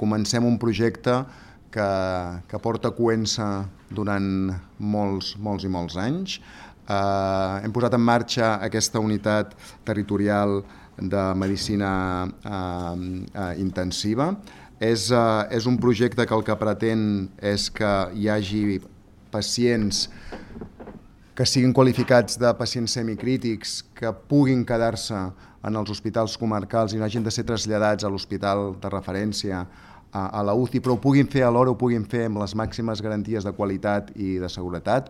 comencem un projecte que porta coent-se durant molts i molts anys. Hem posat en marxa aquesta unitat territorial de medicina intensiva. És un projecte que el que pretén és que hi hagi pacients que siguin qualificats de pacients semicrítics, que puguin quedar-se en els hospitals comarcals i no hagin de ser traslladats a l'hospital de referència, a la UCI, però ho puguin fer alhora, ho puguin fer amb les màximes garanties de qualitat i de seguretat.